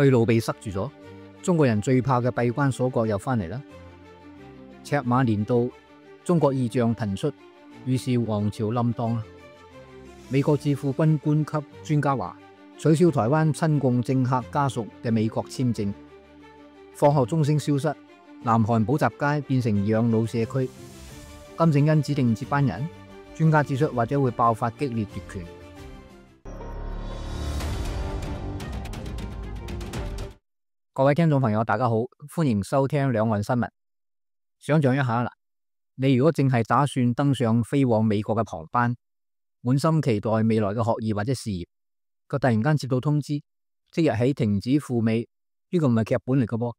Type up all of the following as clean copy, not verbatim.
退路被塞住咗，中國人最怕嘅閉關鎖國又翻嚟啦。赤馬年到，中國異象頻出，於是王朝冧檔啦。美國智庫軍官級專家話，取消台灣親共政客家屬嘅美國簽證。放學鐘聲消失，南韓補習街變成養老社區。金正恩指定接班人，專家指出或者會爆發激烈奪權。各位聽眾朋友，大家好，歡迎收聽兩岸新聞。想象一下啦，你如果淨係打算登上飛往美國嘅航班，滿心期待未來嘅學業或者事業，佢突然間接到通知，即日起停止赴美，呢個唔係劇本嚟嘅噃，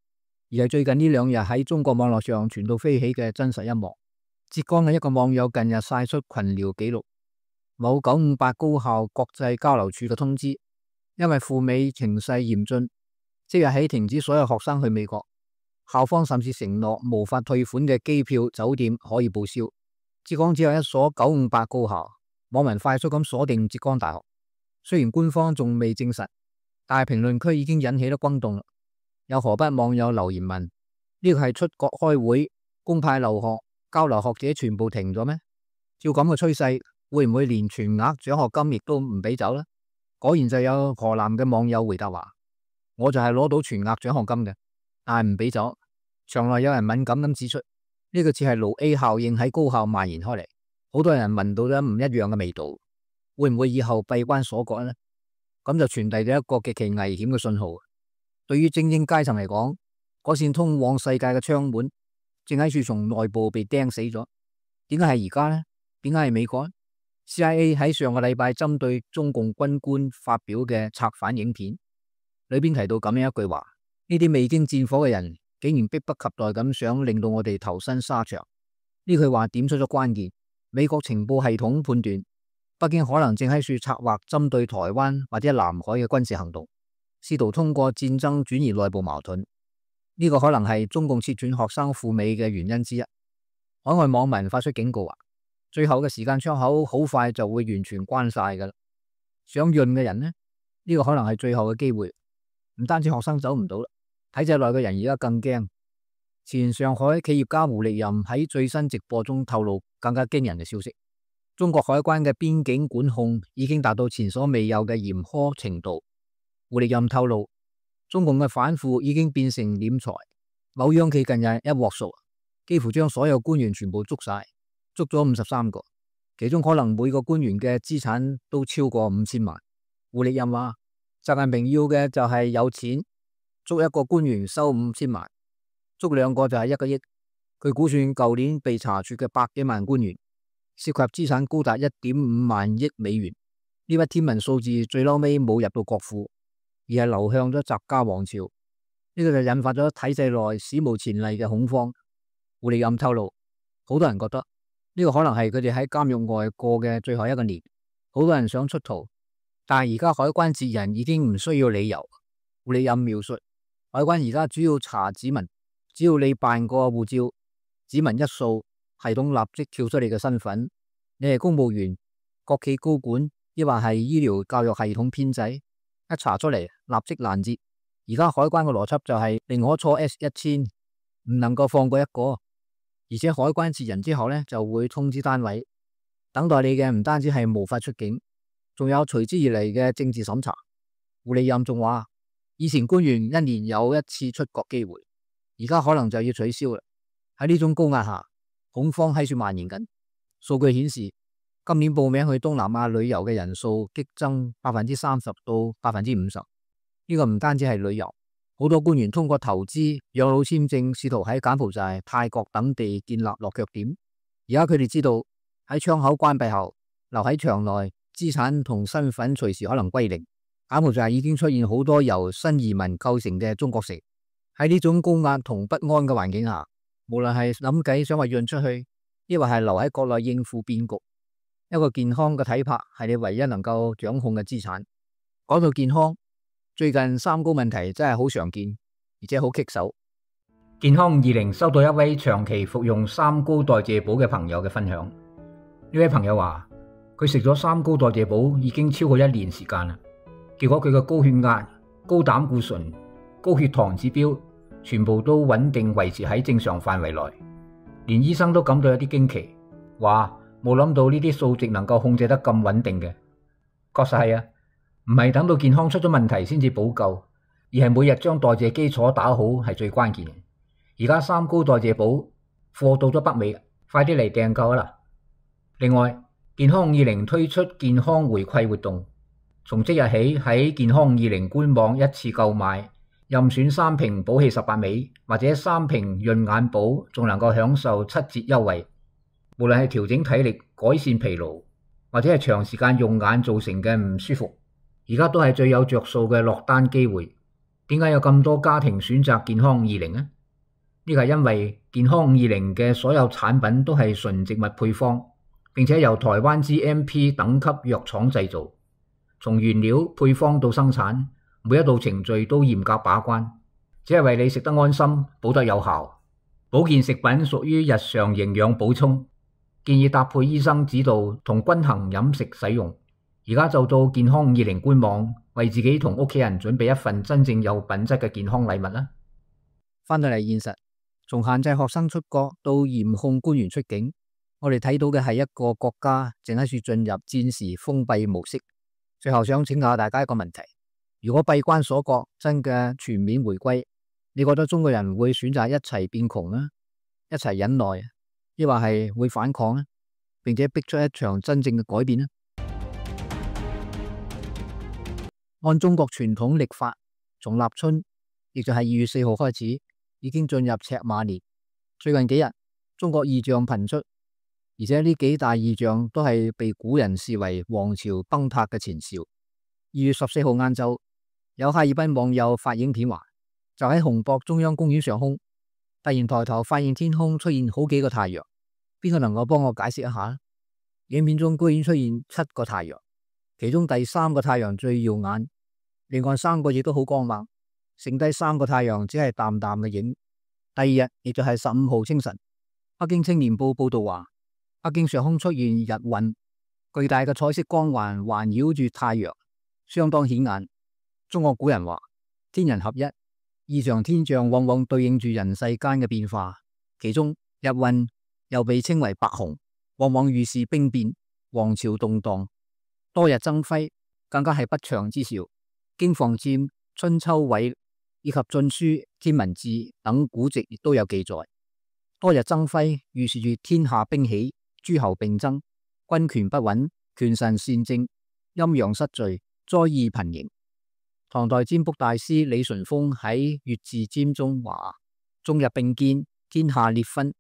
而係最近呢2日喺中國網絡上傳到飛起嘅真實一幕。浙江嘅一個網友近日曬出群聊記錄，某958高校國際交流處嘅通知，因為赴美情勢嚴峻，即日起停止所有學生去美國，校方甚至承諾無法退款嘅機票、酒店可以報銷。浙江只有一所958高校，網民快速咁鎖定浙江大學。雖然官方仲未證實，但係評論區已經引起咗轟動。有河北網友留言問：呢個係出國開會、公派留學、交流學者全部停咗咩？照咁嘅趨勢，會唔會連全額獎學金亦都唔俾走呢？果然就有河南嘅網友回答話：我就係攞到全額獎學金嘅，但係唔俾走。場內有人敏感咁指出，呢個似係盧 A 效應喺高校蔓延開嚟，好多人聞到咗唔一樣嘅味道。會唔會以後閉關鎖國呢？咁就傳遞咗一個極其危險嘅信號。對於精英階層嚟講，嗰扇通往世界嘅窗門正喺處從內部被釘死咗。點解係而家呢？點解係美國呢？ CIA 喺上個禮拜針對中共軍官發表嘅策反影片裏邊提到咁樣一句話：呢啲未經戰火嘅人竟然迫不及待咁想令到我哋投身沙場。呢句話點出咗關鍵。美國情報系統判斷，北京可能正喺處策劃針對台灣或者南海嘅軍事行動，試圖通過戰爭轉移內部矛盾。呢個可能係中共切斷學生赴美嘅原因之一。海外網民發出警告話，最後嘅時間窗口好快就會完全關晒噶啦。想潤嘅人呢，呢個可能係最後嘅機會。唔單止學生走唔到啦，體制內嘅人而家更驚。前上海企業家胡力任喺最新直播中透露更加驚人嘅消息：中國海關嘅邊境管控已經達到前所未有嘅嚴苛程度。胡力任透露，中共嘅反腐已經變成斂財。某央企近日一鑊熟，幾乎將所有官員全部捉晒，捉咗53個，其中可能每個官員嘅資產都超過5000萬。胡力任話，習近平要嘅就係有錢，捉一個官員收5000萬，捉2個就係1個億。佢估算舊年被查處嘅100幾萬官員，涉及資產高達1.5萬億美元。呢筆天文數字最嬲尾冇入到國庫，而係流向咗習家王朝。呢個就引發咗體制內史無前例嘅恐慌。胡力任透露，好多人覺得呢個可能係佢哋喺監獄外過嘅最後一個年，好多人想出逃，但係而家海關截人已經唔需要理由。胡力任描述，海關而家主要查指紋，只要你辦過護照，指紋一掃，系統立即跳出你嘅身份，你係公務員、國企高管，抑或係醫療教育系統編制，一查出嚟立即攔截。而家海關嘅邏輯就係寧可錯 S1000，唔能夠放過一個。而且海關截人之後呢，就會通知單位，等待你嘅唔單止係無法出境，仲有隨之而嚟嘅政治審查。胡力任仲話，以前官員1年有1次出國機會，而家可能就要取消啦。喺呢種高壓下，恐慌喺處蔓延緊。數據顯示，今年報名去東南亞旅遊嘅人數激增30%到50%。呢個唔單止係旅遊，好多官員通過投資、養老簽證，試圖喺柬埔寨、泰國等地建立落腳點。而家佢哋知道喺窗口關閉後，留喺場內資產同身份隨時可能歸零。柬埔寨已經出現好多由新移民構成嘅中國城。喺呢種高壓同不安嘅環境下，無論係諗計想話潤出去，抑或係留喺國內應付變局，一個健康嘅體魄係你唯一能夠掌控嘅資產。講到健康，最近三高問題真係好常見，而且好棘手。健康20收到一位長期服用三高代謝寶嘅朋友嘅分享。呢位朋友話，佢食咗三高代謝寶已經超過1年時間啦，結果佢嘅高血壓、高膽固醇、高血糖指標全部都穩定維持喺正常範圍內，連醫生都感到有啲驚奇，話冇諗到呢啲數值能夠控制得咁穩定嘅。確實係啊，唔係等到健康出咗問題先至補救，而係每日將代謝基礎打好係最關鍵嘅。而家三高代謝寶貨到咗北美，快啲嚟訂購啦！另外，健康50推出健康回饋活動，從即日起喺健康50官網一次購買，任選3瓶補氣18味或者3瓶潤眼寶，仲能夠享受7折優惠。無論係調整體力、改善疲勞，或者係長時間用眼造成嘅唔舒服，而家都係最有着數嘅落單機會。點解有咁多家庭選擇健康50呢？呢個係因為健康50嘅所有產品都係純植物配方，並且由台灣 GMP 等級藥廠製造，從原料配方到生產，每一道程序都嚴格把關，只係為你食得安心，補得有效。保健食品屬於日常營養補充，建議搭配醫生指導同均衡飲食使用。而家就到健康50官網，為自己同屋企人準備一份真正有品質嘅健康禮物啦。翻到嚟現實，從限制學生出國到嚴控官員出境，我哋睇到嘅係一個國家正喺處進入戰時封閉模式。最後想請教大家一個問題：如果閉關鎖國真嘅全面回歸，你覺得中國人會選擇一齊變窮啊，一齊忍耐，抑或係會反抗啊，並且逼出一場真正嘅改變呢？按中國傳統曆法，從立春，亦就係2月4號開始，已經進入赤馬年。最近幾日，中國異象頻出，而且呢幾大異象都係被古人視為王朝崩塌嘅前兆。2月14號晏晝，有哈爾濱網友發影片話，就喺紅博中央公園上空，突然抬頭發現天空出現好幾個太陽。邊個能夠幫我解釋一下？影片中居然出現7個太陽，其中第3個太陽最耀眼，另外3個亦都好光猛，剩低3個太陽只係淡淡嘅影。第二日，亦就係15號清晨，北京青年報報道話，北京上空出現日暈，巨大嘅彩色光環環繞住太陽，相當顯眼。中國古人話，天人合一，異常天象往往對應住人世間嘅變化，其中日暈又被稱為白虹，往往預示兵變、王朝動盪。多日爭輝更加係不祥之兆。經房占、春秋緯以及晉書、天文志等古籍亦都有記載。多日爭輝預示住天下兵起，諸侯並爭，軍權不穩，權臣擅政，陰陽失序，災異頻仍。唐代占卜大師李淳風喺《月字占》中話：眾日並見，天下裂分，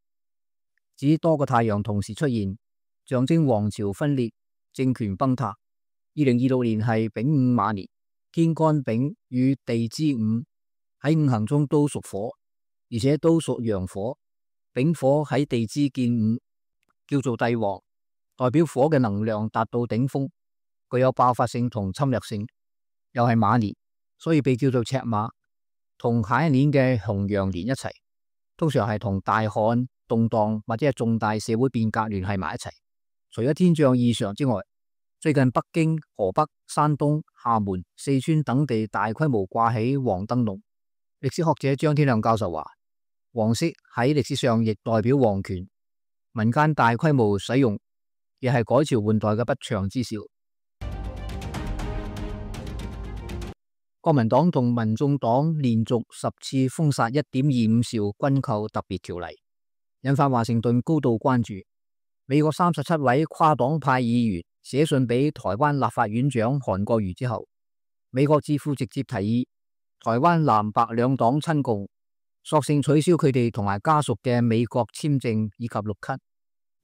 指多個太陽同時出現，象徵王朝分裂，政權崩塌。2026年係丙午馬年，天干丙與地支午喺五行中都屬火，而且都屬陽火。丙火喺地支見午，叫做帝王，代表火嘅能量達到頂峰，具有爆發性同侵略性。又係馬年，所以被叫做赤馬，同下一年嘅紅羊年一齊，通常係同大旱、動盪或者係重大社會變革聯繫埋一齊。除咗天象異常之外，最近北京、河北、山東、廈門、四川等地大規模掛起黃燈籠。歷史學者張天亮教授話，黃色喺歷史上亦代表皇權，民間大規模使用，亦係改朝換代嘅不祥之兆。國民黨同民眾黨連續10次封殺1.25兆軍購特別條例，引發華盛頓高度關注。美國37位跨黨派議員寫信俾台灣立法院長韓國瑜之後，美國智庫直接提議台灣藍白兩黨親共索性取消佢哋同埋家屬嘅美國簽證以及綠卡。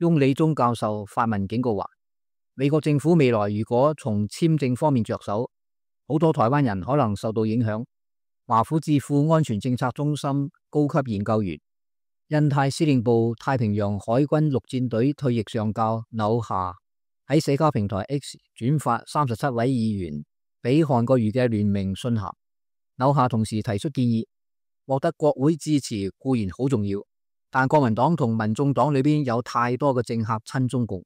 翁理忠教授發文警告話，美國政府未來如果從簽證方面着手，好多台灣人可能受到影響。華府智庫安全政策中心高級研究員、印太司令部太平洋海軍陸戰隊退役上校柳下喺社交平台 X 轉發37位議員俾韓國瑜嘅聯名信函。柳下同時提出建議，獲得國會支持固然好重要，但國民黨同民眾黨裏邊有太多嘅政客親中共，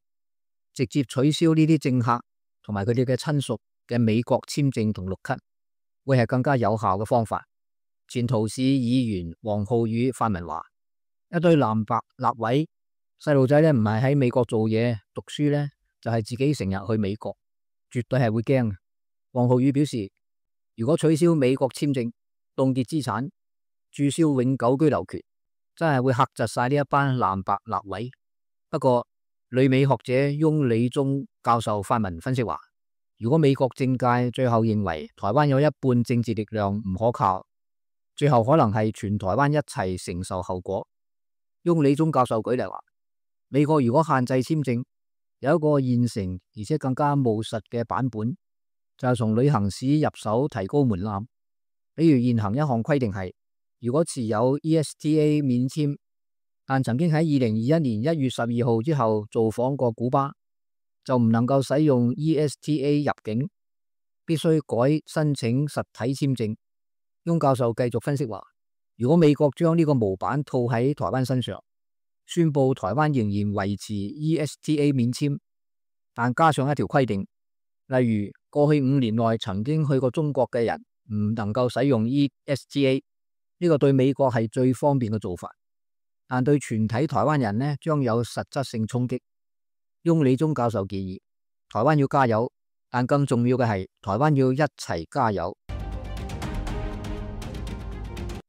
直接取消呢啲政客同埋佢哋嘅親屬嘅美國簽證同綠卡，會係更加有效嘅方法。前桃市議員王浩宇發文話：一堆藍白立委細路仔咧，唔係喺美國做嘢讀書咧，就係自己成日去美國，絕對係會驚。王浩宇表示，如果取消美國簽證、凍結資產、註銷永久居留權，真係會嚇窒晒呢一班藍白立委。不過，旅美學者翁理忠教授發文分析話，如果美國政界最後認為台灣有一半政治力量唔可靠，最後可能係全台灣一齊承受後果。翁理忠教授舉例話，美國如果限制簽證，有一個現成而且更加務實嘅版本，就係從旅行史入手提高門檻。比如現行一項規定係，如果持有 ESTA 免簽，但曾經喺2021年1月12號之後造訪過古巴，就唔能夠使用 ESTA 入境，必須改申請實體簽證。翁教授繼續分析話，如果美國將呢個模板套喺台灣身上，宣布台灣仍然維持 ESTA 免簽，但加上一條規定，例如過去5年內曾經去過中國嘅人唔能夠使用 ESTA， 呢個對美國係最方便嘅做法，但對全體台灣人呢將有實質性衝擊。翁理忠教授建議，台灣要加油，但更重要嘅係台灣要一齊加油。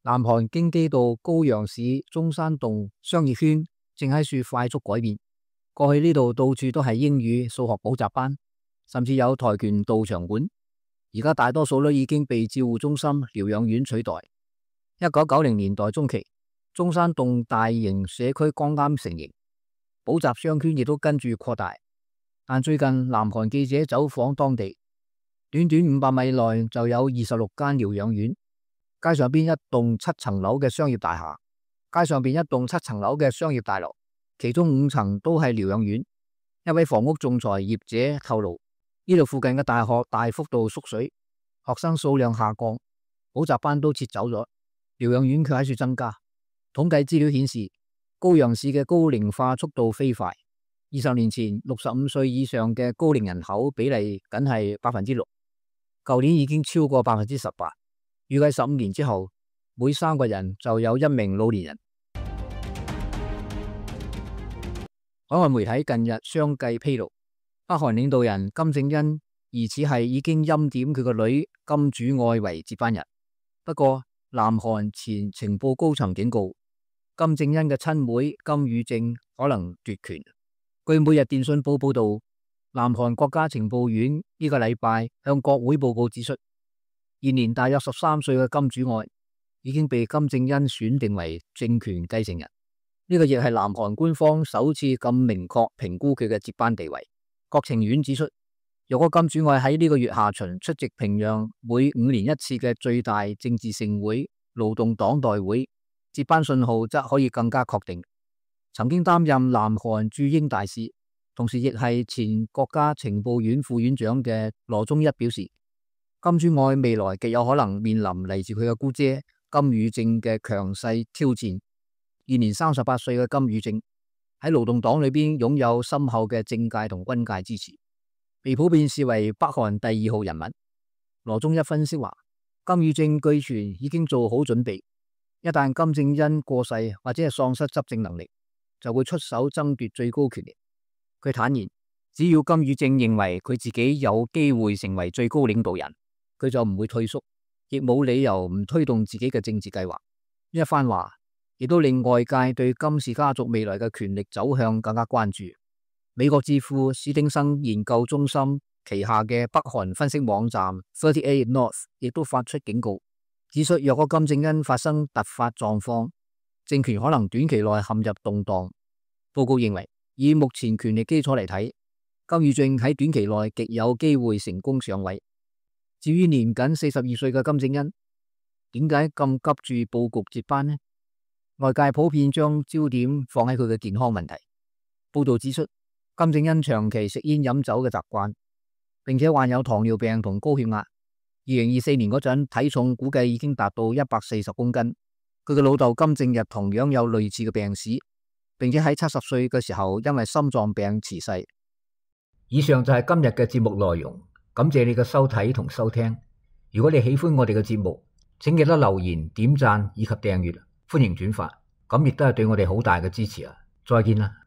南韓京畿道高陽市中山洞商業圈正喺處快速改變，過去呢度到處都係英語、數學補習班，甚至有跆拳道場館，而家大多數都已經被照護中心、療養院取代。1990年代中期，中山洞大型社區剛啱成形，補習商圈亦都跟住擴大。但最近南韓記者走訪當地，短短500米內就有26間療養院。街上邊一棟7層樓嘅商業大廈，街上邊一棟7層樓嘅商業大樓，其中5層都係療養院。一位房屋仲裁業者透露，呢度附近嘅大學大幅度縮水，學生數量下降，補習班都撤走咗，療養院卻喺處增加。統計資料顯示，高陽市嘅高齡化速度飛快。20年前65歲以上嘅高齡人口比例僅係6%，舊年已經超過18%。預計15年之後，每3個人就有1名老年人。海外媒體近日相繼披露，北韓領導人金正恩疑似係已經欽點佢個女金主愛為接班人。不過，南韓前情報高層警告，金正恩嘅親妹金與正可能奪權。據每日電訊報報道，南韓國家情報院呢個禮拜向國會報告指出，現年大約13歲嘅金主愛已經被金正恩選定為政權繼承人，呢個亦係南韓官方首次咁明確評估佢嘅接班地位。國情院指出，若果金主愛喺呢個月下旬出席平壤每5年一次嘅最大政治盛會勞動黨代會，接班信號則可以更加確定。曾經擔任南韓駐英大使，同時亦係前國家情報院副院長嘅羅中一表示，金主愛未來極有可能面臨嚟自佢嘅姑姐金與正嘅強勢挑戰。現年38歲嘅金與正喺勞動黨裏邊擁有深厚嘅政界同軍界支持，被普遍視為北韓第2號人物。羅中一分析話，金與正據傳已經做好準備，一旦金正恩過世或者係喪失執政能力，就會出手爭奪最高權力。佢坦言，只要金與正認為佢自己有機會成為最高領導人，佢就唔會退縮，亦冇理由唔推動自己嘅政治計劃。呢一番話亦都令外界對金氏家族未來嘅權力走向更加關注。美國智庫史丁生研究中心旗下嘅北韓分析網站38 North 亦都發出警告，指出若果金正恩發生突發狀況，政權可能短期內陷入動盪。報告認為，以目前權力基礎嚟睇，金與正喺短期內極有機會成功上位。至於年僅42歲嘅金正恩，點解咁急住布局接班呢？外界普遍將焦點放喺佢嘅健康問題。報道指出，金正恩長期食煙飲酒嘅習慣，並且患有糖尿病同高血壓。2024年嗰陣體重估計已經達到140公斤。佢嘅老豆金正日同樣有類似嘅病史，並且喺70歲嘅時候因為心臟病辭世。以上就係今日嘅節目內容，感謝你嘅收睇同收聽。如果你喜歡我哋嘅節目，請記得留言、點讚以及訂閱，歡迎轉發，咁亦都係對我哋好大嘅支持啊！再見啦。